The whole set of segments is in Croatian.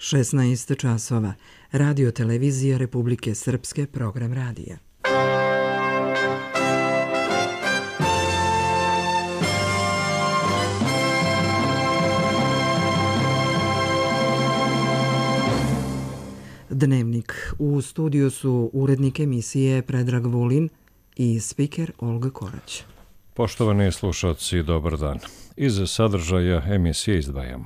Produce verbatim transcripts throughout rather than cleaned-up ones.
šesnaest časova. Radio televizija Republike Srpske, program radija. Dnevnik. U studiju su urednik emisije Predrag Vulin i spiker Olga Korać. Poštovani slušalci, dobar dan. Iz sadržaja emisije izdvajamo.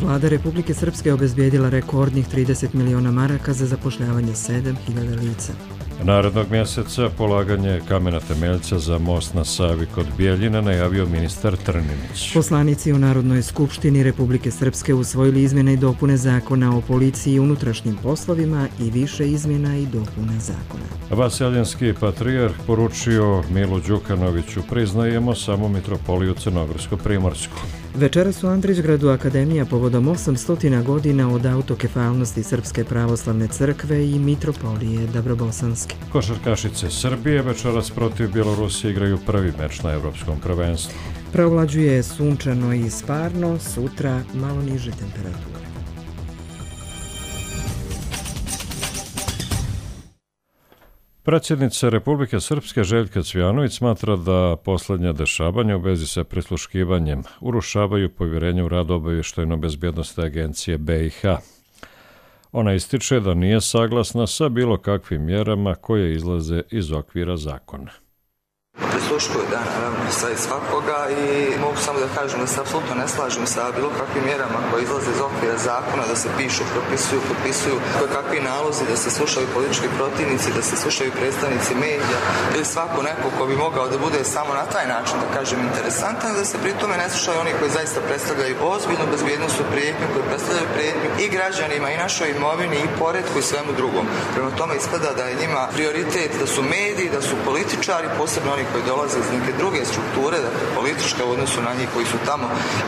Vlada Republike Srpske obezbijedila rekordnih trideset miliona maraka za zapošljavanje sedam hiljada lica. Narednog mjeseca polaganje kamena temeljca za most na Savi kod Bijeljina najavio ministar Trninić. Poslanici u Narodnoj skupštini Republike Srpske usvojili izmjene i dopune zakona o policiji i unutrašnjim poslovima i više izmjena i dopuna zakona. Vaseljenski patrijarh poručio Milu Đukanoviću: priznajemo samo mitropoliju Crnogorsko-primorsku. Večeras u Andrićgradu Akademija povodom osamsto godina od autokefalnosti Srpske pravoslavne crkve i mitropolije Dabrobosanske. Košarkašice Srbije večeras protiv Bjelorusije igraju prvi meč na evropskom prvenstvu. Preovlađuje sunčano i sparno, sutra malo niže temperature. Predsjednica Republike Srpske Željka Cvijanović smatra da posljednja dešavanja u vezi sa prisluškivanjem urušavaju povjerenje u rad Obavještajno-bezbjednosne agencije B i H. Ona ističe da nije saglasna sa bilo kakvim mjerama koje izlaze iz okvira zakona. Prisluškuju, da, naravno, sve i svakoga i mogu samo da kažem da se apsolutno ne slažem sa bilo kakvim mjerama koje izlaze iz okvira zakona, da se pišu, propisuju, potpisuju koje kakvi nalozi, da se slušaju politički protivnici, da se slušaju predstavnici medija ili svako neko ko bi mogao da bude samo na taj način, da kažem, interesantan, da se pri tome ne slušaju oni koji zaista predstavljaju ozbiljnu bezbjednosnu prijetnju, koji predstavljaju prijetnju i građanima i našoj imovini i poretku i svemu drugom. Prema tome ispada da je njima prioritet da su mediji, da su političari, posebno oni koji dolaze iz neke druge strukture, dakle politička u odnosu na njih koji su tamo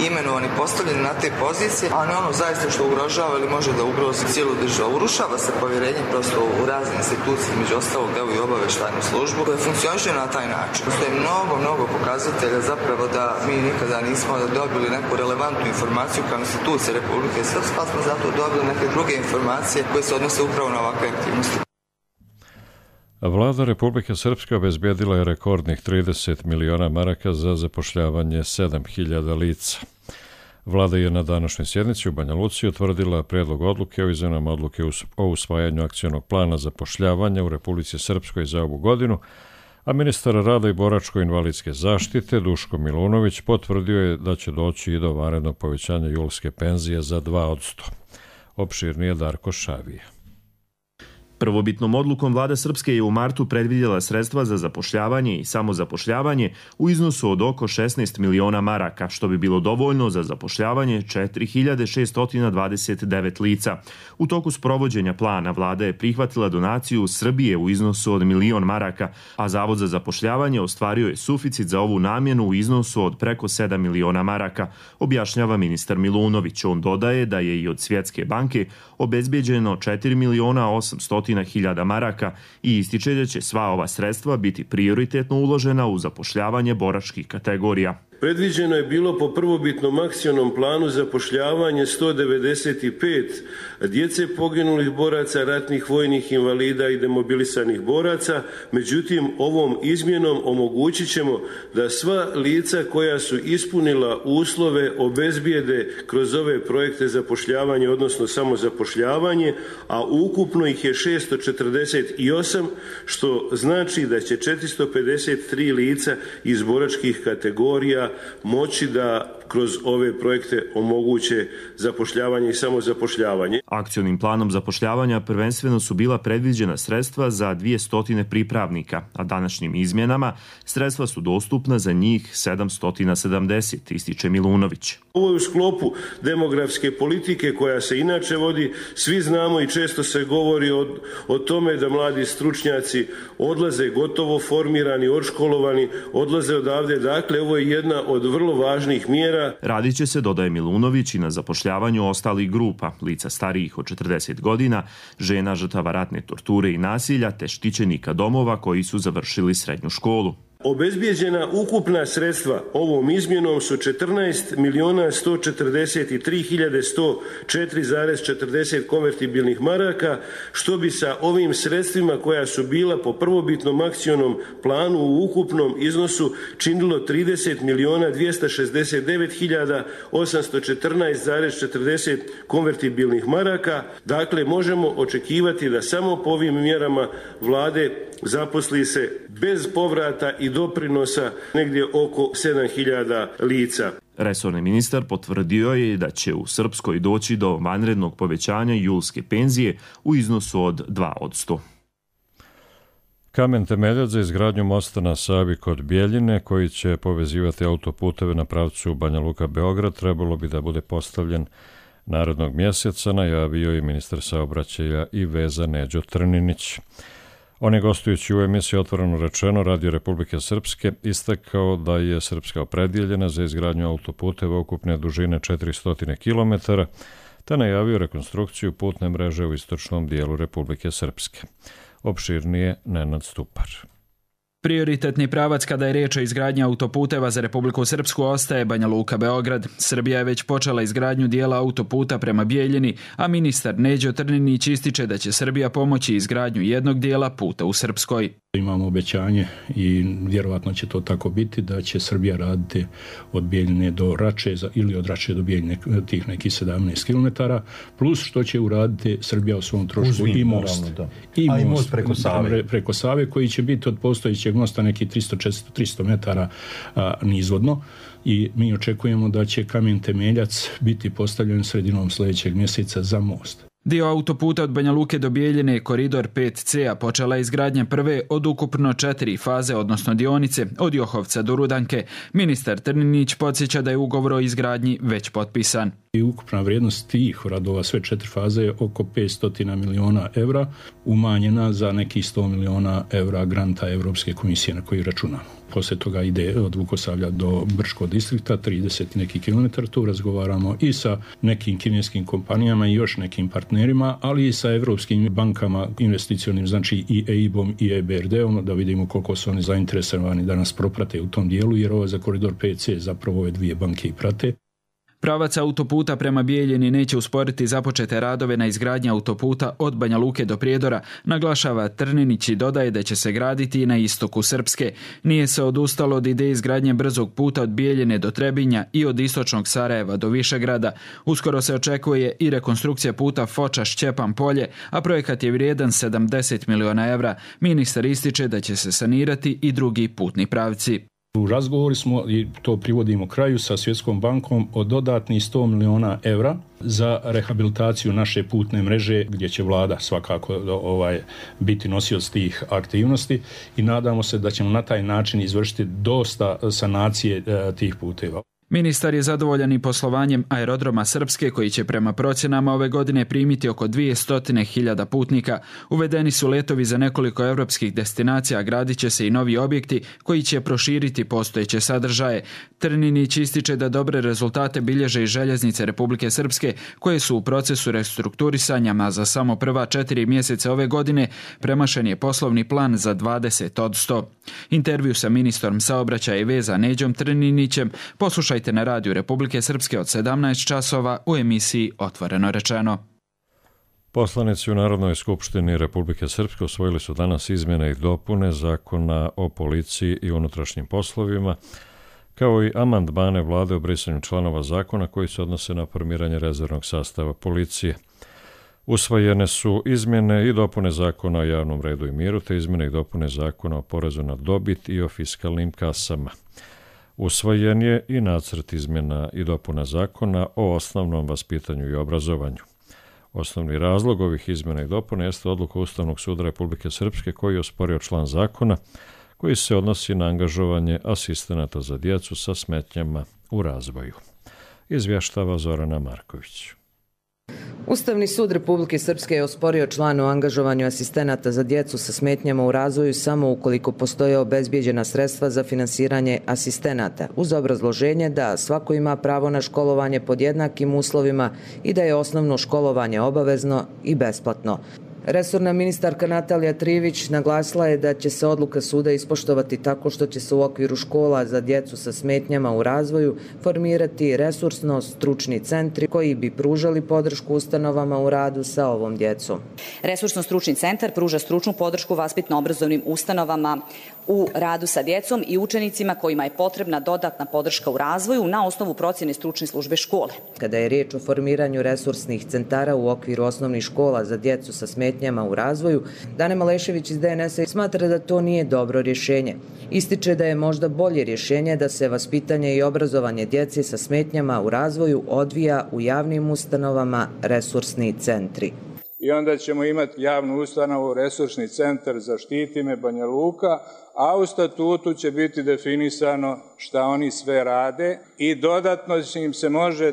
imenovani, postavljeni na te pozicije, a ne ono zaista što ugrožava ili može da ugrozi cijelu državu. Urušava se povjerenje prosto u razne institucije, među ostalog evo i obavještajnu službu, koja funkcioniše na taj način. Postoje mnogo, mnogo pokazatelja zapravo da mi nikada nismo dobili neku relevantnu informaciju kao institucije Republike Srpske, pa smo zato dobili neke druge informacije koje se odnose upravo na ovakve aktivnosti. Vlada Republike Srpske obezbijedila je rekordnih trideset miliona maraka za zapošljavanje sedam hiljada lica. Vlada je na današnjoj sjednici u Banja Luci utvrdila prijedlog odluke o izmjenama odluke o usvajanju akcionog plana zapošljavanja u Republici Srpskoj za ovu godinu, a ministar rada i boračko-invalidske zaštite Duško Milunović potvrdio je da će doći i do vanrednog povećanja julske penzije za dva posto. Opširnije Darko Šavije. Prvobitnom odlukom vlada Srpske je u martu predvidjela sredstva za zapošljavanje i samozapošljavanje u iznosu od oko šesnaest miliona maraka, što bi bilo dovoljno za zapošljavanje četiri hiljade šessto dvadeset devet lica. U toku sprovođenja plana vlada je prihvatila donaciju Srbije u iznosu od milion maraka, a Zavod za zapošljavanje ostvario je suficit za ovu namjenu u iznosu od preko sedam miliona maraka, objašnjava ministar Milunović. On dodaje da je i od Svjetske banke obezbijeđeno četiri miliona osamsto hiljada maraka i ističe da će sva ova sredstva biti prioritetno uložena u zapošljavanje boračkih kategorija. Predviđeno je bilo po prvobitnom akcionom planu zapošljavanje sto devedeset pet djece poginulih boraca, ratnih vojnih invalida i demobilisanih boraca, međutim ovom izmjenom omogućit ćemo da sva lica koja su ispunila uslove obezbijede kroz ove projekte zapošljavanja, odnosno samozapošljavanje, a ukupno ih je šesto četrdeset osam, što znači da će četiristo pedeset tri lica iz boračkih kategorija moći da kroz ove projekte omoguće zapošljavanje i samozapošljavanje. Akcionim planom zapošljavanja prvenstveno su bila predviđena sredstva za dvjesto pripravnika, a današnjim izmjenama sredstva su dostupna za njih sedamsto sedamdeset, ističe Milunović. Ovo je u sklopu demografske politike koja se inače vodi. Svi znamo i često se govori o, o tome da mladi stručnjaci odlaze gotovo formirani, odškolovani, odlaze odavde. Dakle, ovo je jedna od vrlo važnih mjera. Radit će se, dodaje Milunović, i na zapošljavanju ostalih grupa, lica starijih od četrdeset godina, žena žrtava ratne torture i nasilja, te štićenika domova koji su završili srednju školu. Obezbijeđena ukupna sredstva ovom izmjenom su četrnaest milijuna sto četrdeset tri hiljade sto četiri zarez četrdeset konvertibilnih maraka, što bi sa ovim sredstvima koja su bila po prvobitnom akcionom planu u ukupnom iznosu činilo trideset milijuna dvjesto šezdeset devet hiljada osamsto četrnaest zarez četrdeset konvertibilnih maraka. Dakle, možemo očekivati da samo po ovim mjerama vlade zaposli se bez povrata i doprinosa negdje oko sedam hiljada lica. Resorni ministar potvrdio je da će u Srpskoj doći do vanrednog povećanja julske penzije u iznosu od dva posto. Kamen temeljac za izgradnju mosta na Savi kod Bjeljine, koji će povezivati autoputeve na pravcu Banja Luka-Beograd, trebalo bi da bude postavljen narednog mjeseca, najavio je ministar saobraćaja i veza Neđo Trninić. On je, gostujući u emisiji Otvoreno rečeno Radio Republike Srpske, istakao da je Srpska opredjeljena za izgradnju autoputeva ukupne dužine četiristo kilometara, te najavio rekonstrukciju putne mreže u istočnom dijelu Republike Srpske. Opširnije Nenad Stupar. Prioritetni pravac kada je riječ o izgradnji autoputeva za Republiku Srpsku ostaje Banja Luka-Beograd. Srbija je već počela izgradnju dijela autoputa prema Bijeljini, a ministar Neđo Trninić ističe da će Srbija pomoći izgradnju jednog dijela puta u Srpskoj. Imamo obećanje i vjerovatno će to tako biti da će Srbija raditi od Bijeljine do Rače ili od Rače do Bijeljine tih nekih sedamnaest kilometara, plus što će uraditi Srbija u svom trošku Uzvim, i most. Naravno, I, most, i most preko Save. preko Save koji će biti od postojećeg mosta nekih tristo do četiristo metara a, nizvodno. I mi očekujemo da će kamen temeljac biti postavljen sredinom sljedećeg mjeseca za most. Dio autoputa od Banja Luke do Bijeljine, koridor pet ce, a počela je izgradnja prve od ukupno četiri faze, odnosno dionice, od Johovca do Rudanke. Ministar Trninić podsjeća da je ugovor o izgradnji već potpisan. I ukupna vrijednost tih radova, sve četiri faze, je oko petsto miliona evra, umanjena za nekih sto miliona evra granta Evropske komisije na koji računamo. Poslije toga ide od Vukosavlja do Brčkog distrikta, trideset neki kilometar. Tu razgovaramo i sa nekim kineskim kompanijama i još nekim partnerima, ali i sa evropskim bankama investicionim, znači i E I B-om i E B R D-om, da vidimo koliko su oni zainteresovani da nas proprate u tom dijelu, jer ovo za koridor pet ce zapravo ove dvije banke i prate. Pravac autoputa prema Bijeljini neće usporiti započete radove na izgradnji autoputa od Banja Luke do Prijedora, naglašava Trninić i dodaje da će se graditi i na istoku Srpske. Nije se odustalo od ideje izgradnje brzog puta od Bijeljine do Trebinja i od istočnog Sarajeva do Višegrada. Uskoro se očekuje i rekonstrukcija puta Foča-Šćepan Polje, a projekat je vrijedan sedamdeset miliona evra. Ministar ističe da će se sanirati i drugi putni pravci. U razgovori smo, i to privodimo kraju, sa Svjetskom bankom o dodatnih sto miliona evra za rehabilitaciju naše putne mreže, gdje će vlada svakako ovaj, biti nosioc tih aktivnosti i nadamo se da ćemo na taj način izvršiti dosta sanacije e, tih puteva. Ministar je zadovoljan i poslovanjem aerodroma Srpske, koji će prema procjenama ove godine primiti oko dvjesto hiljada putnika. Uvedeni su letovi za nekoliko europskih destinacija, a gradit će se i novi objekti koji će proširiti postojeće sadržaje. Trninić ističe da dobre rezultate bilježe i željeznice Republike Srpske, koje su u procesu restrukturisanja, a za samo prva četiri mjeseca ove godine premašen je poslovni plan za dvadeset posto. Intervju sa ministrom saobraćaja i veza Neđom Trninićem poslušajte na Radiju Republike Srpske od sedamnaest časova u emisiji Otvoreno rečeno. Poslanici u Narodnoj skupštini Republike Srpske usvojili su danas izmjene i dopune Zakona o policiji i unutrašnjim poslovima, kao i amandmane vlade o brisanju članova zakona koji se odnose na formiranje rezervnog sastava policije. Usvojene su izmjene i dopune Zakona o javnom redu i miru, te izmjene i dopune Zakona o porezu na dobit i o fiskalnim kasama. Usvojen je i nacrt izmjena i dopuna Zakona o osnovnom vaspitanju i obrazovanju. Osnovni razlog ovih izmjena i dopuna jeste odluka Ustavnog suda Republike Srpske, koji je osporio član zakona koji se odnosi na angažovanje asistenata za djecu sa smetnjama u razvoju. Izvještava Zorana Marković. Ustavni sud Republike Srpske je osporio član o angažovanju asistenata za djecu sa smetnjama u razvoju samo ukoliko postoje obezbijeđena sredstva za finansiranje asistenata, uz obrazloženje da svako ima pravo na školovanje pod jednakim uslovima i da je osnovno školovanje obavezno i besplatno. Resorna ministarka Natalija Trivić naglasila je da će se odluka suda ispoštovati tako što će se u okviru škola za djecu sa smetnjama u razvoju formirati resursno-stručni centri koji bi pružali podršku ustanovama u radu sa ovom djecom. Resursno-stručni centar pruža stručnu podršku vaspitno-obrazovnim ustanovama u radu sa djecom i učenicima kojima je potrebna dodatna podrška u razvoju na osnovu procjene stručne službe škole. Kada je riječ o formiranju resursnih centara u okviru osnovnih škola za djecu sa smetnjama u razvoju, Dane Malešević iz D N S-a smatra da to nije dobro rješenje. Ističe da je možda bolje rješenje da se vaspitanje i obrazovanje djece sa smetnjama u razvoju odvija u javnim ustanovama resursni centri. I onda ćemo imati javnu ustanovu, resursni centar Zaštiti me Banja Luka, a u statutu će biti definisano šta oni sve rade i dodatno im se može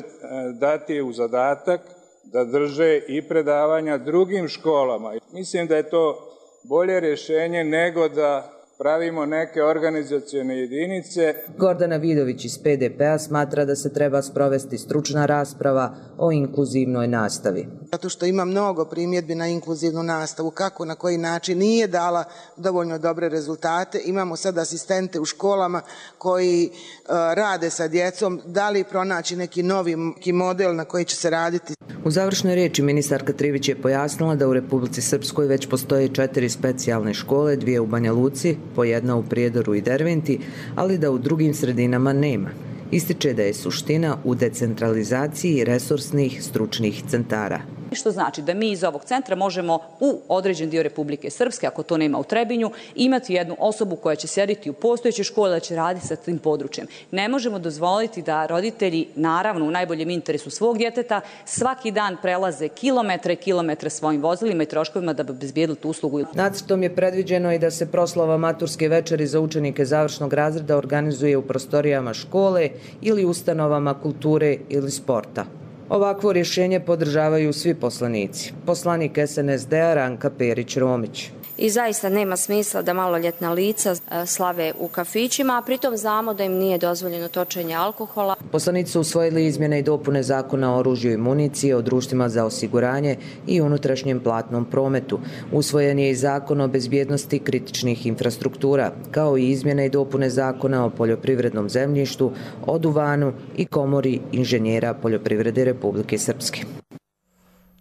dati u zadatak da drže i predavanja drugim školama. Mislim da je to bolje rješenje nego da pravimo neke organizacione jedinice. Gordana Vidović iz P D P-a smatra da se treba sprovesti stručna rasprava o inkluzivnoj nastavi. Zato što ima mnogo primjedbi na inkluzivnu nastavu, kako, na koji način nije dala dovoljno dobre rezultate. Imamo sad asistente u školama koji uh, rade sa djecom. Da li pronaći neki novi model na koji će se raditi? U završnoj riječi ministarka Trivić je pojasnila da u Republici Srpskoj već postoje četiri specijalne škole, dvije u Banja Luci, po jedna u Prijedoru i Derventi, ali da u drugim sredinama nema. Ističe da je suština u decentralizaciji resursnih stručnih centara. Što znači da mi iz ovog centra možemo u određen dio Republike Srpske, ako to nema u Trebinju, imati jednu osobu koja će sjediti u postojećoj školi da će raditi sa tim područjem. Ne možemo dozvoliti da roditelji, naravno u najboljem interesu svog djeteta, svaki dan prelaze kilometre i kilometre svojim vozilima i troškovima da bi obezbijedili tu uslugu. Nacrtom je predviđeno i da se proslava maturske večeri za učenike završnog razreda organizuje u prostorijama škole ili ustanovama kulture ili sporta. Ovakvo rješenje podržavaju svi poslanici. Poslanik S N S D-a Ranka Perić-Romić. I zaista nema smisla da maloljetna lica slave u kafićima, a pritom znamo da im nije dozvoljeno točenje alkohola. Poslanici su usvojili izmjene i dopune Zakona o oružju i municiji, o društvima za osiguranje i unutrašnjem platnom prometu. Usvojen je i Zakon o bezbjednosti kritičnih infrastruktura, kao i izmjene i dopune Zakona o poljoprivrednom zemljištu, o duvanu i Komori inženjera poljoprivrede Republike Srpske.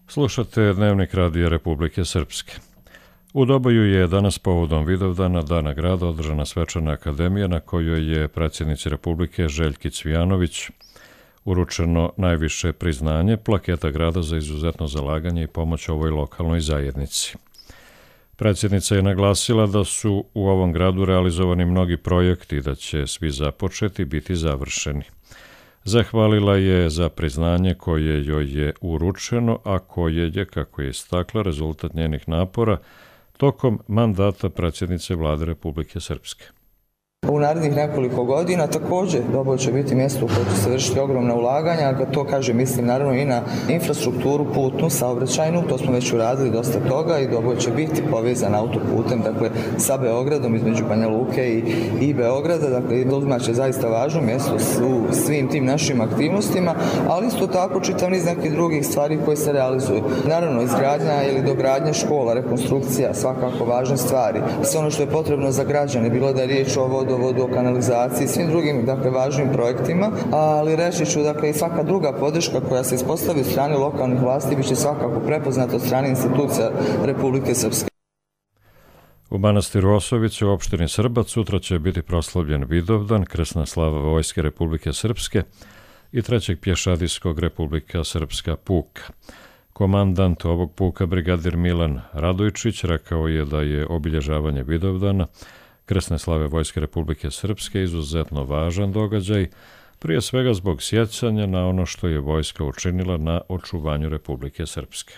Slušate Dnevnik radija Republike Srpske. U Doboju je danas povodom Vidovdana Dana grada održana svečana akademija na kojoj je predsjednici Republike Željki Cvijanović uručeno najviše priznanje, plaketa grada za izuzetno zalaganje i pomoć ovoj lokalnoj zajednici. Predsjednica je naglasila da su u ovom gradu realizovani mnogi projekti i da će svi započeti biti završeni. Zahvalila je za priznanje koje joj je uručeno, a koje je, kako je istakla, rezultat njenih napora tokom mandata predsjednice Vlade Republike Srpske. U narednih nekoliko godina također Doboj će biti mjesto u kojem će se vršiti ogromna ulaganja, a to kaže mislim naravno i na infrastrukturu putnu, saobraćajnu, to smo već uradili dosta toga i Doboj će biti povezan autoputem, dakle sa Beogradom između Banja Luke i, i Beograda, dakle Doboj će zaista važno mjesto u svim tim našim aktivnostima, ali isto tako čitav niz nekih drugih stvari koje se realizuju. Naravno izgradnja ili dogradnja škola, rekonstrukcija, svakako važne stvari. Sve ono što je potrebno za građane, bilo da je riječ o vodu, vodu, o kanalizaciji, svim drugim dakle, važnim projektima, ali reći ću dakle, i svaka druga podrška koja se ispostavi od strane lokalnih vlasti biće svakako prepoznata od strane institucija Republike Srpske. U manastiru Osovice u opštini Srbac sutra će biti proslavljen Vidovdan, krsna slava Vojske Republike Srpske i trećeg pješadijskog Republika Srpska puka. Komandant ovog puka, brigadir Milan Radojčić, rekao je da je obilježavanje Vidovdana krsne slave Vojske Republike Srpske izuzetno važan događaj, prije svega zbog sjećanja na ono što je vojska učinila na očuvanju Republike Srpske.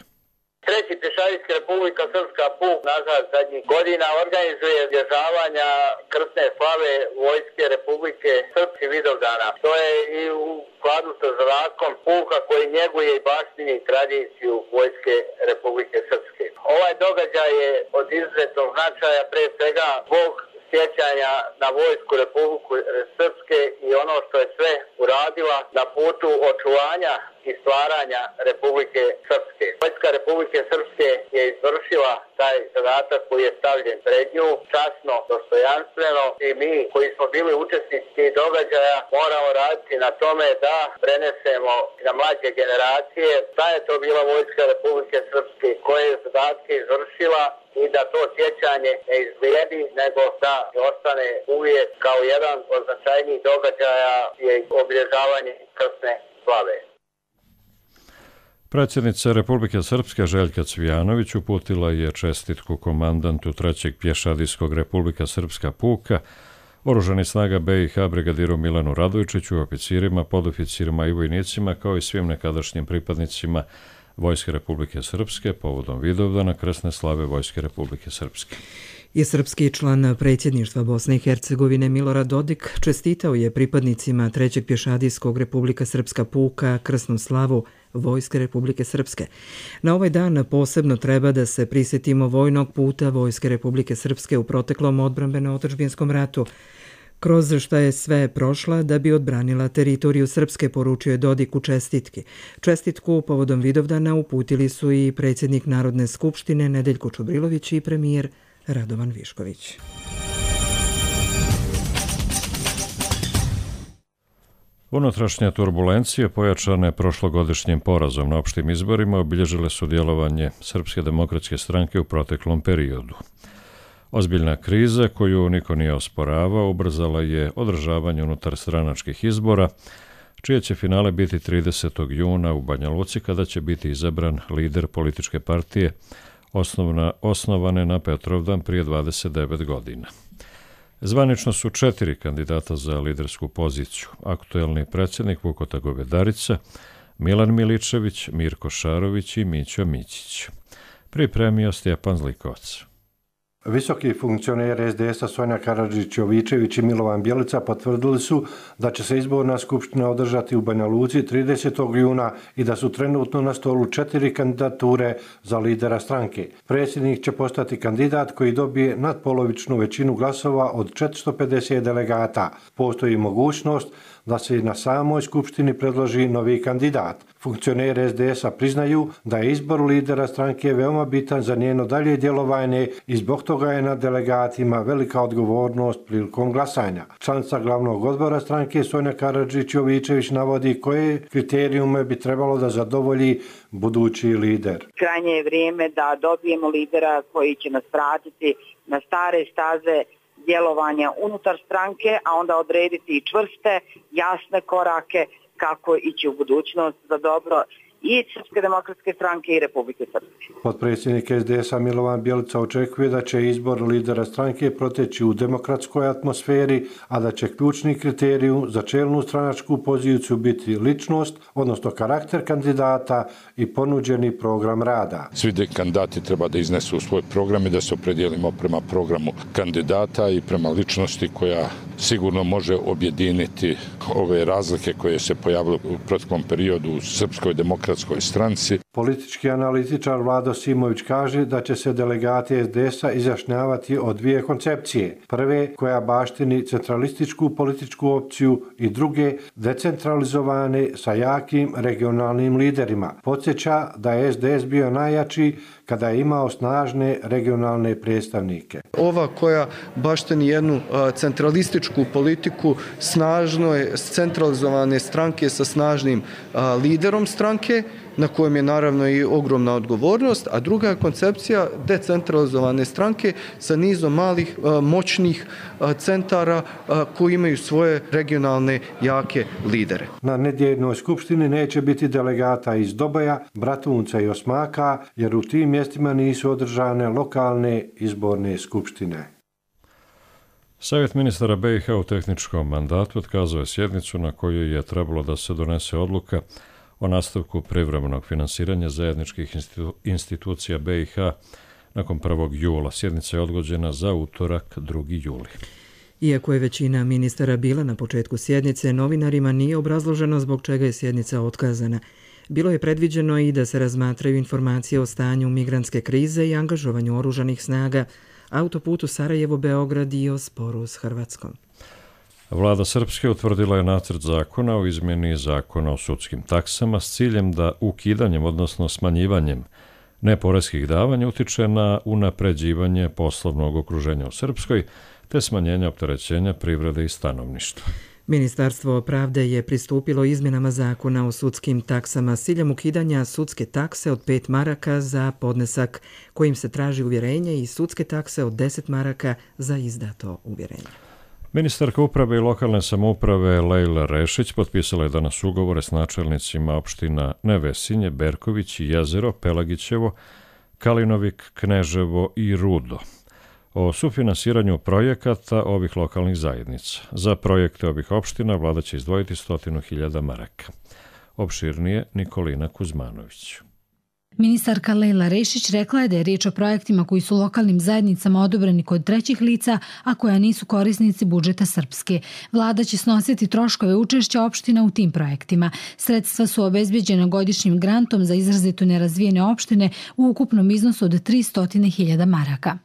Treći pješadijski Republika Srpska puk nazad zadnjih godina organizuje obilježavanja krsne slave Vojske Republike Srpske Vidovdana. To je i u skladu sa zadakom puka koji njeguje i baštini tradiciju Vojske Republike Srpske. Ovaj događaj je od izuzetnog značaja pre svega zbog sjećanja na Vojsku Republike Srpske i ono što je sve uradila na putu očuvanja i stvaranja Republike Srpske. Vojska Republike Srpske je izvršila taj zadatak koji je stavljen pred nju, časno, dostojanstveno, i mi koji smo bili učesnici tih događaja moramo raditi na tome da prenesemo na mlađe generacije šta je to bila Vojska Republike Srpske, koje je zadatke izvršila, i da to sjećanje ne izblijedi, nego da ostane uvijek kao jedan od značajnijih događaja je obilježavanje krsne slave. Predsjednica Republike Srpske Željka Cvijanović uputila je čestitku komandantu trećeg pješadijskog Republika Srpska puka, Oružanih snaga B i H brigadiru Milanu Radojčiću, oficirima, podoficirima i vojnicima, kao i svim nekadašnjim pripadnicima Vojske Republike Srpske povodom Vidovdana krsne slave Vojske Republike Srpske. I srpski član predsjedništva Bosne i Hercegovine Milorad Dodik čestitao je pripadnicima trećeg pješadijskog Republika Srpska puka krsnu slavu Vojske Republike Srpske. Na ovaj dan posebno treba da se prisjetimo vojnog puta Vojske Republike Srpske u proteklom odbrambeno-otadžbinskom ratu, kroz šta je sve prošla da bi odbranila teritoriju Srpske, poručio je Dodik u čestitki. Čestitku povodom Vidovdana uputili su i predsjednik Narodne skupštine Nedeljko Čubrilović i premijer Radovan Višković. Unutrašnje turbulencije pojačane prošlogodišnjim porazom na opštim izborima obilježile su djelovanje Srpske demokratske stranke u proteklom periodu. Ozbiljna kriza, koju niko nije osporavao, ubrzala je održavanje unutar stranačkih izbora, čije će finale biti tridesetog juna u Banja Luci, kada će biti izabran lider političke partije osnovna, osnovane na Petrovdan prije dvadeset devet godina. Zvanično su četiri kandidata za lidersku poziciju: aktuelni predsjednik Vukota Govedarica, Milan Miličević, Mirko Šarović i Mićo Mićić. Pripremio Stjepan Zlikovac. Visoki funkcioner S D S-a Sonja Karadžić-Jovičević i Milovan Bjelica potvrdili su da će se izborna skupština održati u Banja Luci tridesetog juna i da su trenutno na stolu četiri kandidature za lidera stranke. Predsjednik će postati kandidat koji dobije nadpolovičnu većinu glasova od četiristo pedeset delegata. Postoji mogućnost da se i na samoj skupštini predloži novi kandidat. Funkcioneri S D S-a priznaju da je izbor lidera stranke veoma bitan za njeno dalje djelovanje i zbog toga je na delegatima velika odgovornost prilikom glasanja. Članica glavnog odbora stranke Sonja Karadžić-Jovičević navodi koje kriterijume bi trebalo da zadovolji budući lider. Krajnje je vrijeme da dobijemo lidera koji će nas vratiti na stare staze djelovanja unutar stranke, a onda odrediti i čvrste, jasne korake kako ići u budućnost za dobro i Srpske demokratske stranke i Republike Srpske. Potpredsjednik S D S-a Milovan Bjelica očekuje da će izbor lidera stranke proteći u demokratskoj atmosferi, a da će ključni kriterij za čelnu stranačku poziciju biti ličnost, odnosno karakter kandidata i ponuđeni program rada. Svi kandidati treba da iznesu svoj program i da se opredijelimo prema programu kandidata i prema ličnosti koja sigurno može objediniti ove razlike koje se pojavile u proteklom periodu u Srpskoj demokratskoj stranci. Politički analitičar Vlado Simović kaže da će se delegati S D S-a izjašnjavati o dvije koncepcije. Prve, koja baštini centralističku političku opciju, i druge, decentralizovane sa jakim regionalnim liderima. Podsjeća da je S D S bio najjači kada je imao snažne regionalne predstavnike. Ova koja baštini jednu centralističku politiku, snažno je centralizovane stranke sa snažnim liderom stranke, na kojem je naravno i ogromna odgovornost, a druga koncepcija decentralizovane stranke sa nizom malih moćnih centara koji imaju svoje regionalne jake lidere. Na nedjeljnoj skupštini neće biti delegata iz Doboja, Bratunca i Osmaka, jer u tim mjestima nisu održane lokalne izborne skupštine. Savjet ministara B i H u tehničkom mandatu otkazao je sjednicu na kojoj je trebalo da se donese odluka o nastavku privremenog finansiranja zajedničkih institu- institucija B i H nakon prvog jula. Sjednica je odgođena za utorak, drugi juli. Iako je većina ministara bila na početku sjednice, novinarima nije obrazloženo zbog čega je sjednica otkazana. Bilo je predviđeno i da se razmatraju informacije o stanju migrantske krize i angažovanju oružanih snaga, autoputu Sarajevo-Beograd i o sporu s Hrvatskom. Vlada Srpske utvrdila je nacrt zakona o izmjeni zakona o sudskim taksama s ciljem da ukidanjem, odnosno smanjivanjem neporeskih davanja utiče na unapređivanje poslovnog okruženja u Srpskoj te smanjenje opterećenja privrede i stanovništva. Ministarstvo pravde je pristupilo izmjenama zakona o sudskim taksama s ciljem ukidanja sudske takse od pet maraka za podnesak kojim se traži uvjerenje i sudske takse od deset maraka za izdato uvjerenje. Ministarka uprave i lokalne samouprave Lejla Rešić potpisala je danas ugovore s načelnicima opština Nevesinje, Berković, Jezero, Pelagićevo, Kalinovik, Kneževo i Rudo o sufinansiranju projekata ovih lokalnih zajednica. Za projekte ovih opština vlada će izdvojiti stotinu hiljada maraka. Opširnije Nikolina Kuzmanović. Ministarka Lejla Rešić rekla je da je riječ o projektima koji su lokalnim zajednicama odobreni kod trećih lica, a koja nisu korisnici budžeta Srpske. Vlada će snositi troškove učešća opština u tim projektima. Sredstva su obezbeđena godišnjim grantom za izrazito nerazvijene opštine u ukupnom iznosu od tristo hiljada maraka.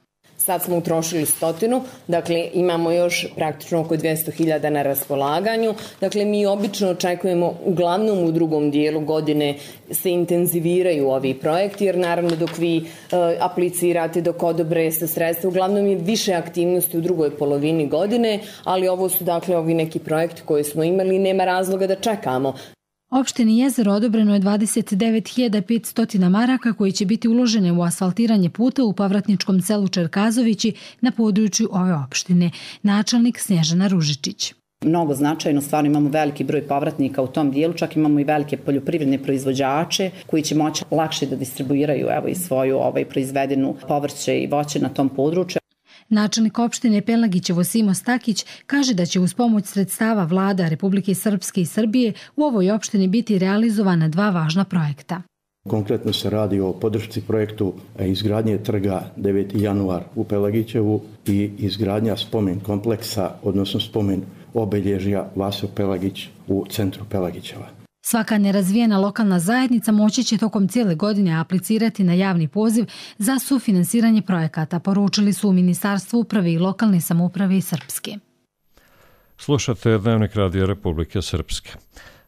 Sad smo utrošili stotinu, dakle imamo još praktično oko dvjesto hiljada na raspolaganju. Dakle, mi obično očekujemo, uglavnom u drugom dijelu godine se intenziviraju ovi projekti, jer naravno dok vi e, aplicirate, dok odobre se sredstva, uglavnom je više aktivnosti u drugoj polovini godine, ali ovo su dakle ovi neki projekti koje smo imali i nema razloga da čekamo. Opštini Jezero odobreno je dvadeset devet hiljada petsto maraka koji će biti uložene u asfaltiranje puta u povratničkom selu Čerkazovići na području ove opštine. Načelnik Snježana Ružičić. Mnogo značajno, stvarno imamo veliki broj povratnika u tom dijelu, čak imamo i velike poljoprivredne proizvođače koji će moći lakše da distribuiraju evo i svoju ovaj, proizvedenu povrće i voće na tom području. Načelnik opštine Pelagićevo Simo Stakić kaže da će uz pomoć sredstava vlada Republike Srpske i Srbije u ovoj opštini biti realizovana dva važna projekta. Konkretno se radi o podršci projektu izgradnje trga deveti januar u Pelagićevu i izgradnja spomen kompleksa, odnosno spomen obelježja Vaso Pelagić u centru Pelagićeva. Svaka nerazvijena lokalna zajednica moći će tokom cijele godine aplicirati na javni poziv za sufinansiranje projekata, poručili su u Ministarstvu uprave i lokalne samouprave i Srpske. Slušate Dnevnik Radija Republike Srpske.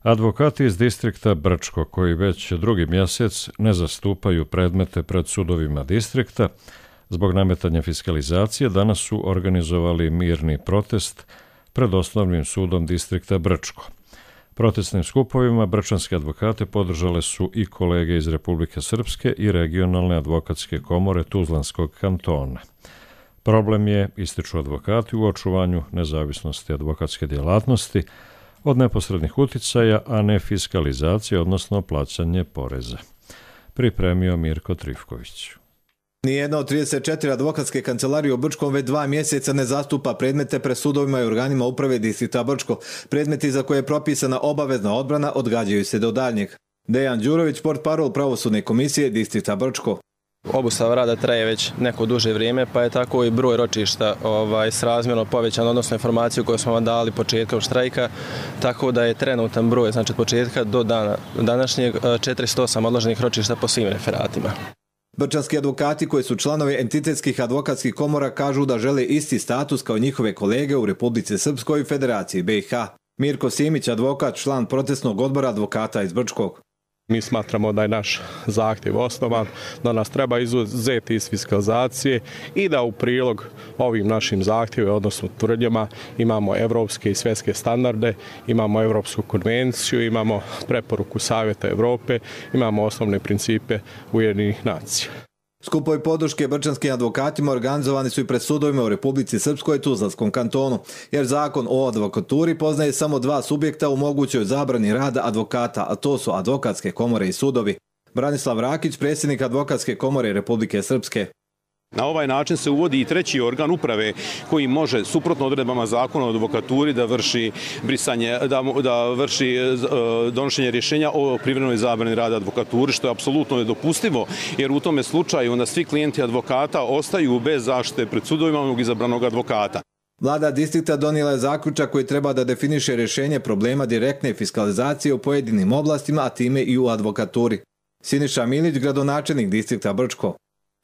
Advokati iz distrikta Brčko, koji već drugi mjesec ne zastupaju predmete pred sudovima distrikta, zbog nametanja fiskalizacije, danas su organizovali mirni protest pred osnovnim sudom distrikta Brčko. Protestnim skupovima brčanske advokate podržale su i kolege iz Republike Srpske i regionalne advokatske komore Tuzlanskog kantona. Problem je, ističu advokati, u očuvanju nezavisnosti advokatske djelatnosti od neposrednih uticaja, a ne fiskalizacije, odnosno plaćanje poreza. Pripremio Mirko Trifković. Nijedna od trideset četiri advokatske kancelarije u Brčkom već dva mjeseca ne zastupa predmete pred sudovima i organima uprave distrikta Brčko. Predmeti za koje je propisana obavezna odbrana odgađaju se do daljnjeg. Dejan Đurović, portparol pravosudne komisije distrikta Brčko. Obustava rada traje već neko duže vrijeme, pa je tako i broj ročišta ovaj, srazmjerno povećan, odnosno informaciju koju smo vam dali početkom štrajka, tako da je trenutan broj, znači od početka do dana današnjeg četiristo osam odloženih ročišta po svim referatima. Brčanski advokati koji su članovi entitetskih advokatskih komora kažu da žele isti status kao njihove kolege u Republici Srpskoj i Federaciji B i H. Mirko Simić, advokat, član protestnog odbora advokata iz Brčkog. Mi smatramo da je naš zahtjev osnovan, da nas treba izuzeti iz fiskalizacije i da u prilog ovim našim zahtjevima, odnosno tvrdnjama, imamo evropske i svjetske standarde, imamo Evropsku konvenciju, imamo preporuku Savjeta Evrope, imamo osnovne principe Ujedinjenih nacija. Skupovi podrške brčanskim advokatima organizovani su i pred sudovima u Republici Srpskoj i Tuzlanskom kantonu, jer zakon o advokaturi poznaje samo dva subjekta u mogućoj zabrani rada advokata, a to su advokatske komore i sudovi. Branislav Rakić, predsjednik advokatske komore Republike Srpske. Na ovaj način se uvodi i treći organ uprave koji može, suprotno odredbama zakona o advokaturi, da vrši brisanje, da, da vrši donošenje rješenja o privremenoj zabrani rada advokaturi, što je apsolutno nedopustivo, jer u tome slučaju onda svi klijenti advokata ostaju bez zaštite pred sudovima onog izabranog advokata. Vlada distrikta donijela je zaključak koji treba da definiše rješenje problema direktne fiskalizacije u pojedinim oblastima, a time i u advokaturi. Siniša Milić, gradonačelnik distrikta Brčko.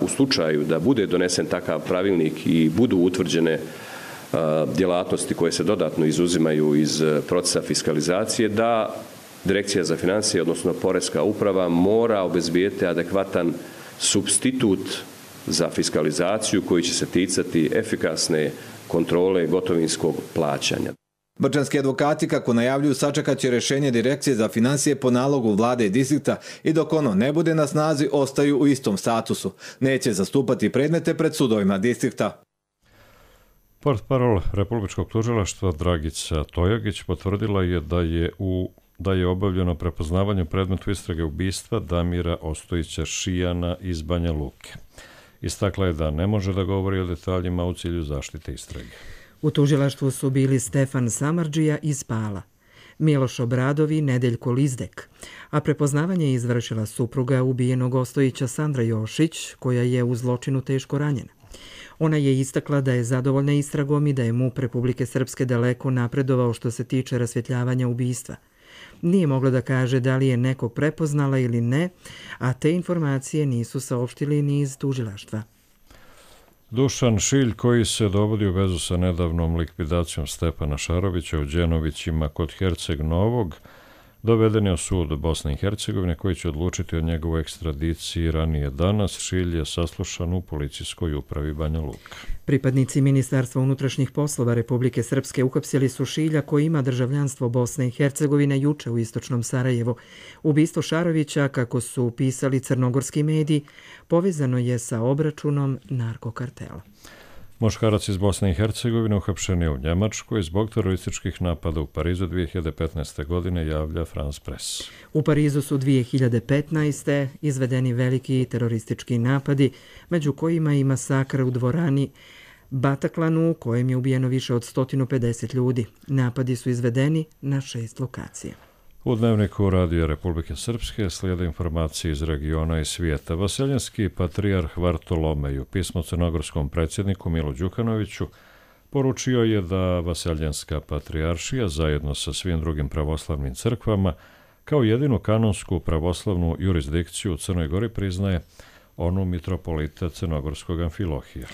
U slučaju da bude donesen takav pravilnik i budu utvrđene djelatnosti koje se dodatno izuzimaju iz procesa fiskalizacije, da Direkcija za financije, odnosno Poreska uprava, mora obezbijeti adekvatan supstitut za fiskalizaciju koji će se ticati efikasne kontrole gotovinskog plaćanja. Brčanski advokati, kako najavljuju, sačekat će rješenje Direkcije za financije po nalogu vlade i distrikta i dok ono ne bude na snazi, ostaju u istom statusu. Neće zastupati predmete pred sudovima distrikta. Portparol Republičkog tužilaštva Dragica Tojagić potvrdila je da je u da je obavljeno prepoznavanje predmetu istrage ubistva Damira Ostojića Šijana iz Banja Luke. Istakla je da ne može da govori o detaljima u cilju zaštite istrage. U tužilaštvu su bili Stefan Samardžija iz Pala, Miloš Obradov i Nedeljko Lizdek, a prepoznavanje je izvršila supruga ubijenog Ostojića Sandra Jošić, koja je u zločinu teško ranjena. Ona je istakla da je zadovoljna istragom i da je MUP Republike Srpske daleko napredovao što se tiče rasvjetljavanja ubistva. Nije mogla da kaže da li je nekog prepoznala ili ne, a te informacije nisu saopštili ni iz tužilaštva. Dušan Šilj, koji se dovodi u vezu sa nedavnom likvidacijom Stepana Šarovića u Đenovićima kod Herceg Novog, doveden je u sud Bosne i Hercegovine koji će odlučiti o njegovoj ekstradiciji ranije danas. Šilj je saslušan u policijskoj upravi Banja Luka. Pripadnici Ministarstva unutrašnjih poslova Republike Srpske uhapsili su Šilja koji ima državljanstvo Bosne i Hercegovine juče u istočnom Sarajevu. Ubistvo Šarovića, kako su pisali crnogorski mediji, povezano je sa obračunom narkokartela. Muškarac iz Bosne i Hercegovine uhapšen je u Njemačkoj zbog terorističkih napada u Parizu dvije hiljade petnaeste. godine, javlja France Press. U Parizu su dvije hiljade petnaeste. izvedeni veliki teroristički napadi, među kojima i masakr u dvorani Bataclanu, u kojem je ubijeno više od sto pedeset ljudi. Napadi su izvedeni na šest lokacija. U Dnevniku Radija Republike Srpske slijede informacije iz regiona i svijeta. Vaseljenski patrijarh Vartolomej u pismu crnogorskom predsjedniku Milu Đukanoviću poručio je da Vaseljenska patrijaršija zajedno sa svim drugim pravoslavnim crkvama kao jedinu kanonsku pravoslavnu jurisdikciju u Crnoj Gori priznaje onu mitropolita crnogorskog Amfilohija.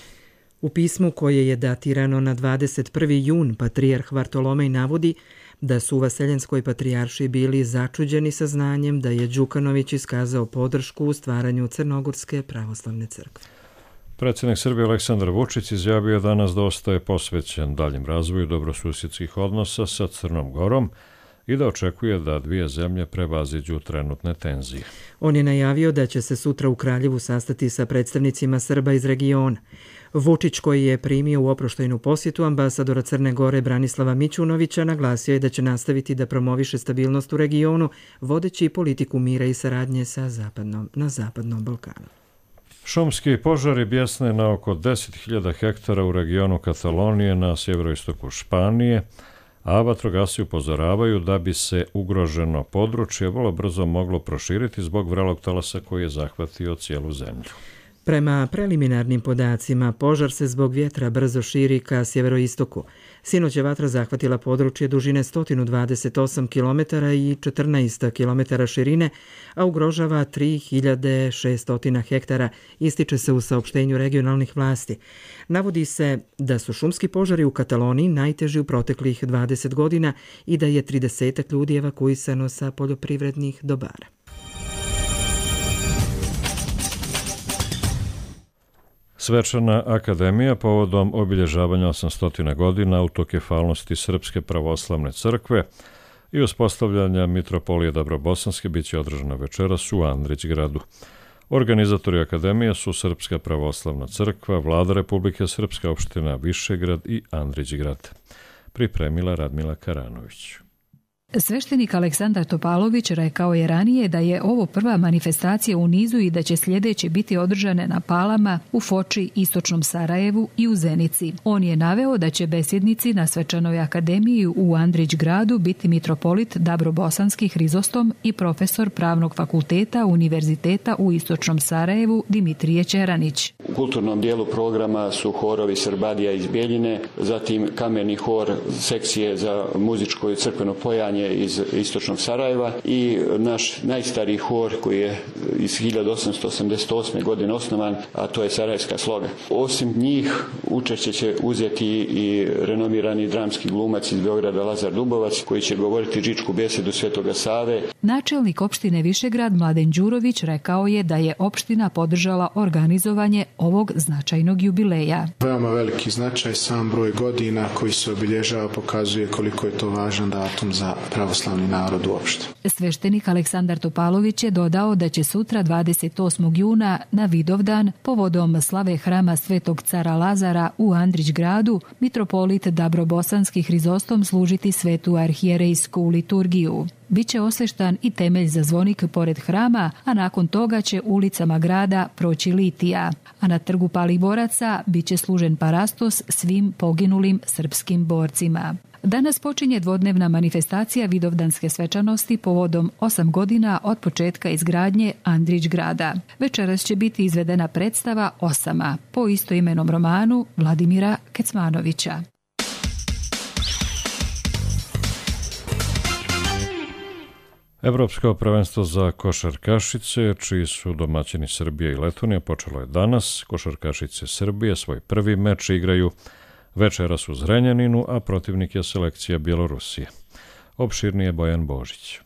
U pismu koje je datirano na dvadeset prvi jun patrijarh Vartolomej navodi da su u Vaseljenskoj patrijaršiji bili začuđeni saznanjem da je Đukanović iskazao podršku u stvaranju Crnogorske pravoslavne crkve. Predsjednik Srbije Aleksandar Vučić izjavio je danas da ostaje posvećen daljem razvoju dobrosusjedskih odnosa sa Crnom Gorom i da očekuje da dvije zemlje prevaziđu trenutne tenzije. On je najavio da će se sutra u Kraljevu sastati sa predstavnicima Srba iz regiona. Vučić, koji je primio u oproštajnu posjetu ambasadora Crne Gore Branislava Mićunovića, naglasio je da će nastaviti da promoviše stabilnost u regionu, vodeći politiku mira i saradnje sa zapadnom, na Zapadnom Balkanu. Šumski požari bjesne na oko deset hiljada hektara u regionu Katalonije na sjeveroistoku Španije, a vatrogasci upozoravaju da bi se ugroženo područje vrlo brzo moglo proširiti zbog vrelog talasa koji je zahvatio cijelu zemlju. Prema preliminarnim podacima, požar se zbog vjetra brzo širi ka sjeveroistoku. Sinoć je vatra zahvatila područje dužine sto dvadeset osam kilometara i četrnaest kilometara širine, a ugrožava tri hiljade šesto hektara, ističe se u saopštenju regionalnih vlasti. Navodi se da su šumski požari u Kataloniji najteži u proteklih dvadeset godina i da je trideset ljudi evakuisano sa poljoprivrednih dobara. Svečana akademija povodom obilježavanja osamsto godina autokefalnosti Srpske pravoslavne crkve i uspostavljanja mitropolije Dabrobosanske bit će održana večeras u Andrićgradu. Organizatori akademije su Srpska pravoslavna crkva, Vlada Republike Srpske, opština Višegrad i Andrićgrad. Pripremila Radmila Karanović. Sveštenik Aleksandar Topalović rekao je ranije da je ovo prva manifestacija u nizu i da će sljedeće biti održane na Palama, u Foči, Istočnom Sarajevu i u Zenici. On je naveo da će besjednici na svečanoj akademiji u Andrićgradu biti mitropolit Dabrobosanski Hrizostom i profesor Pravnog fakulteta Univerziteta u Istočnom Sarajevu Dimitrije Čeranić. U kulturnom dijelu programa su horovi Srbadija iz Bjeljine, zatim kamerni hor sekcije za muzičko i crkveno pojanje iz istočnog Sarajeva i naš najstariji hor koji je iz hiljadu osamsto osamdeset osme. godine osnovan, a to je Sarajevska sloga. Osim njih učešće će uzeti i renomirani dramski glumac iz Beograda Lazar Dubovac koji će govoriti džičku besedu Svetoga Save. Načelnik opštine Višegrad Mladen Đurović rekao je da je opština podržala organizovanje ovog značajnog jubileja. Veoma veliki značaj, sam broj godina koji se obilježava pokazuje koliko je to važan datum za pravoslavni narod uopšte. Sveštenik Aleksandar Topalović je dodao da će sutra dvadeset osmog juna na Vidovdan povodom slave hrama Svetog cara Lazara u Andrić gradu mitropolit Dabrobosanski Hrizostom služiti svetu arhijerejsku liturgiju. Biće osveštan i temelj za zvonik pored hrama, a nakon toga će ulicama grada proći litija. A na trgu Palih boraca biće služen parastos svim poginulim srpskim borcima. Danas počinje dvodnevna manifestacija vidovdanske svečanosti povodom osam godina od početka izgradnje Andrić grada. Večeras će biti izvedena predstava Osama po istoimenom romanu Vladimira Kecmanovića. Evropsko prvenstvo za košarkašice, čiji su domaćini Srbija i Letonija, počelo je danas. Košarkašice Srbije svoj prvi meč igraju večeras u Zrenjaninu, a protivnik je selekcija Bjelorusije. Opširnije Bojan Božić.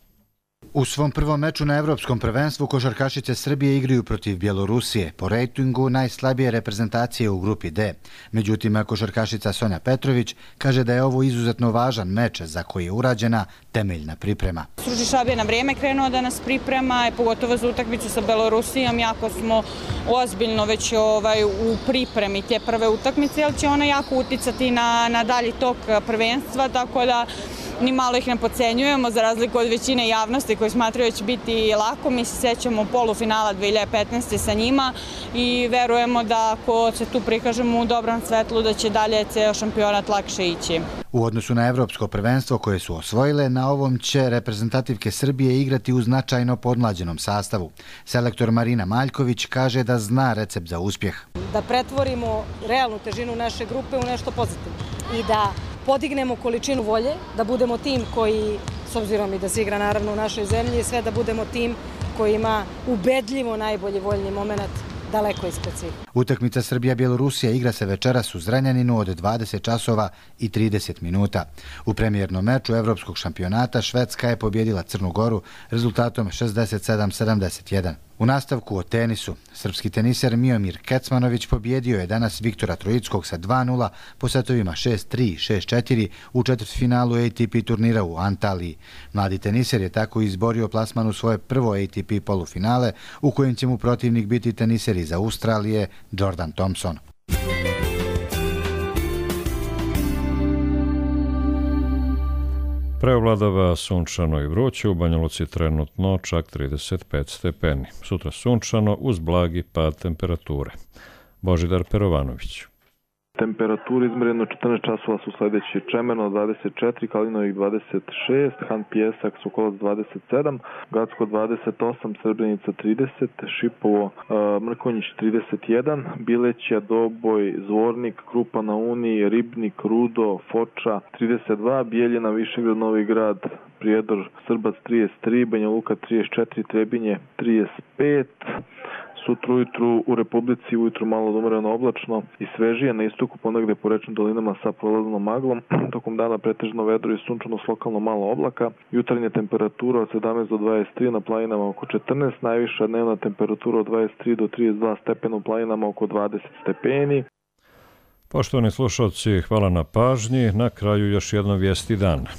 U svom prvom meču na Evropskom prvenstvu košarkašice Srbije igraju protiv Bjelorusije, po rejtingu najslabije reprezentacije u grupi D. Međutim, košarkašica Sonja Petrović kaže da je ovo izuzetno važan meč za koji je urađena temeljna priprema. Stručni štab je na vrijeme krenuo da nas priprema, pogotovo za utakmicu sa Bjelorusijom, jako smo ozbiljno već ovaj, u pripremi te prve utakmice, jer će ona jako uticati na, na dalji tok prvenstva, tako da ni malo ih ne podcenjujemo, za razliku od većine javnosti koji smatraju da će biti lako. Mi se sećamo polufinala dve hiljade petnaeste. sa njima i verujemo da ako se tu prikažemo u dobrom svetlu da će dalje ceo šampionat lakše ići. U odnosu na Evropsko prvenstvo koje su osvojile, na ovom će reprezentativke Srbije igrati u značajno podmlađenom sastavu. Selektor Marina Maljković kaže da zna recept za uspjeh. Da pretvorimo realnu težinu naše grupe u nešto pozitivno i da podignemo količinu volje, da budemo tim koji, s obzirom i da se igra naravno u našoj zemlji, sve da budemo tim koji ima ubedljivo najbolji voljni moment daleko ispred svih. Utakmica Srbija-Bjelorusija igra se večeras u Zrenjaninu od dvadeset časova i trideset minuta. U premijernom meču Evropskog šampionata Švedska je pobjedila Crnu Goru rezultatom šezdeset sedam sedamdeset jedan. U nastavku o tenisu, srpski teniser Miomir Kecmanović pobjedio je danas Viktora Trojickog sa dva nula po setovima šest tri, šest četiri u četvrtfinalu A T P turnira u Antaliji. Mladi teniser je tako izborio plasman u svoje prvo A T P polufinale, u kojem će mu protivnik biti teniser iz Australije Jordan Thompson. Preovladava sunčano i vruće, u Banja Luci trenutno čak trideset pet stepeni. Sutra sunčano uz blagi pad temperature. Božidar Perovanović. Temperatura izmjereno četrnaest časova su sljedeći: Čemeno dvadeset četiri, Kalinovik dvadeset šest, Han Pjesak, Sokolac dvadeset sedam, Gacko dvadeset osam, Srebrenica trideset, Šipovo, Mrkonjić trideset jedan, Bileća, Doboj, Zvornik, Krupa na Uniji, Ribnik, Rudo, Foča trideset dva, Bijeljina, Višegrad, Novi Grad, Prijedor, Srbac trideset tri, Banja Luka trideset četiri, Trebinje trideset pet. Sutra ujutru u Republici ujutru malo odumreno oblačno i svežije, na istoku ponegde po rečnim dolinama sa prolaznom maglom. Tokom dana pretežno vedro i sunčano s lokalno malo oblaka. Jutarnja temperatura od sedamnaest do dvadeset tri, na planinama oko četrnaest, najviša dnevna temperatura od dvadeset tri do trideset dva stepena, u planinama oko dvadeset stepeni. Poštovani slušalci, hvala na pažnji. Na kraju još jedno vijesti dana.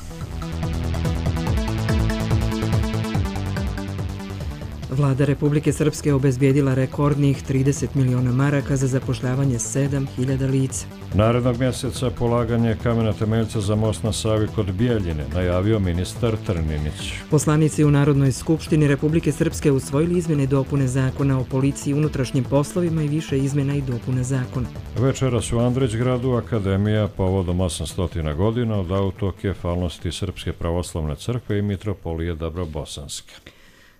Vlada Republike Srpske obezbijedila rekordnih trideset miliona maraka za zapošljavanje sedam hiljada lica. Narednog mjeseca polaganje kamena temeljca za most na Savi kod Bijeljine, najavio ministar Trninić. Poslanici u Narodnoj skupštini Republike Srpske usvojili izmjene i dopune zakona o policiji i unutrašnjim poslovima i više izmjena i dopuna zakona. Večeras u Andrić gradu Akademija povodom osamsto godina od autokefalnosti Srpske pravoslavne crkve i mitropolije Dabrobosanske.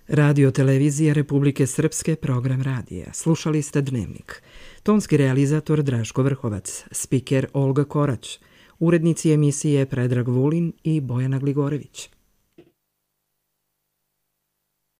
Radio Televizija Republike Srpske, program radija. Slušali ste Dnevnik. Tonski realizator Draško Vrhovac, spiker Olga Korać, urednici emisije Predrag Vulin i Bojana Gligorević.